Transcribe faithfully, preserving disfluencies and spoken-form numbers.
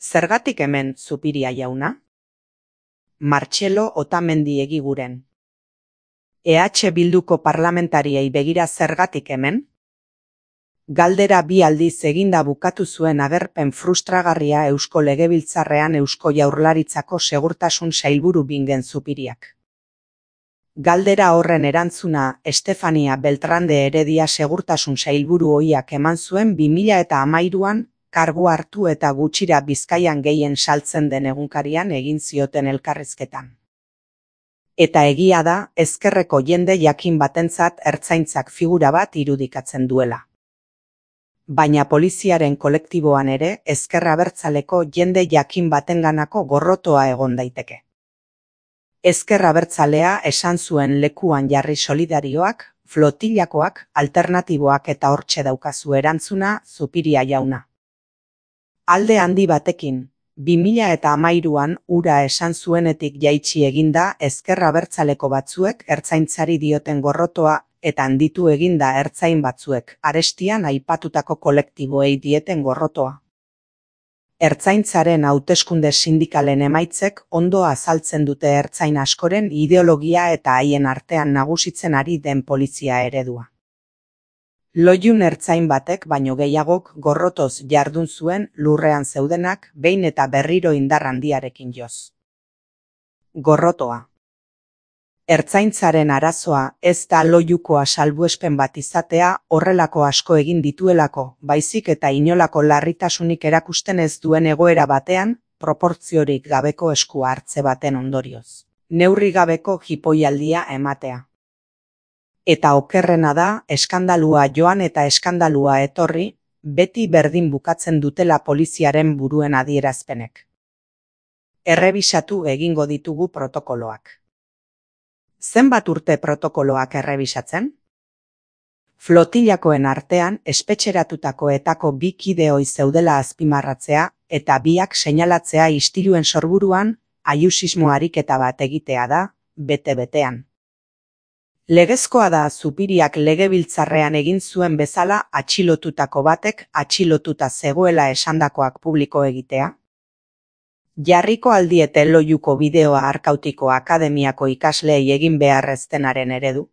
Zergatik hemen, Zupiria jauna? Martxelo Otamendi Egiguren. E H Bilduko parlamentariei begira zergatik hemen? Galdera bi aldiz eginda bukatu zuen agerpen frustragarria Eusko Legebiltzarrean Eusko Jaurlaritzako Segurtasun Sailburu Bingen Zupiriak. Galdera horren erantzuna Estefania Beltrán de Heredia Segurtasun Sailburu ohiak eman zuen bi mila eta hamairuan, kargu hartu eta gutxira Bizkaian gehien saltzen den egunkarian egin zioten elkarrizketan. Eta egia da, ezkerreko jende jakin batentzat ertzaintzak figura bat irudikatzen duela. Baina poliziaren kolektiboan ere ezker abertzaleko jende jakin batenganako gorrotoa egon daiteke. Ezker abertzalea esan zuen lekuan jarri solidarioak, flotillakoak, alternatiboak eta hortxe daukazu erantzuna, Zupiria jauna. Alde handi batekin, bi mila eta hamairuan ura esan zuenetik jaitsi eginda ezker abertzaleko batzuek ertzaintzari dioten gorrotoa eta handitu eginda ertzain batzuek arestian aipatutako kolektiboei dieten gorrotoa. Ertzaintzaren hauteskunde sindikalen emaitzek ondo azaltzen dute ertzain askoren ideologia eta haien artean nagusitzen ari den polizia eredua. Loiun ertzain batek baino gehiagok gorrotoz jardun zuen lurrean zeudenak behin eta berriro indar handiarekin joz. Gorrotoa. Ertzaintzaren arazoa ez da loiukoa salbuespen bat izatea horrelako asko egin dituelako, baizik eta inolako larritasunik erakusten ez duen egoera batean, proportziorik gabeko esku hartze baten ondorioz. Neurri gabeko jipoialdia ematea. Eta okerrena da, eskandalua joan eta eskandalua etorri, beti berdin bukatzen dutela poliziaren buruen adierazpenek. Errebisatu egingo ditugu protokoloak. Zenbat urte protokoloak errebisatzen? Flotillakoen artean espetxeratutako etako bi kideoi zeudela azpimarratzea eta biak seinalatzea istiluen sorburuan aiusismo ariketa bat egitea da, bete-betean. Legezkoa da Zupiriak legebiltzarrean egin zuen bezala atxilotutako batek atxilotuta zegoela esandakoak publiko egitea? Jarriko aldiete loiuko bideoa Arkautiko Akademiako ikasleei egin beharreztenaren eredu?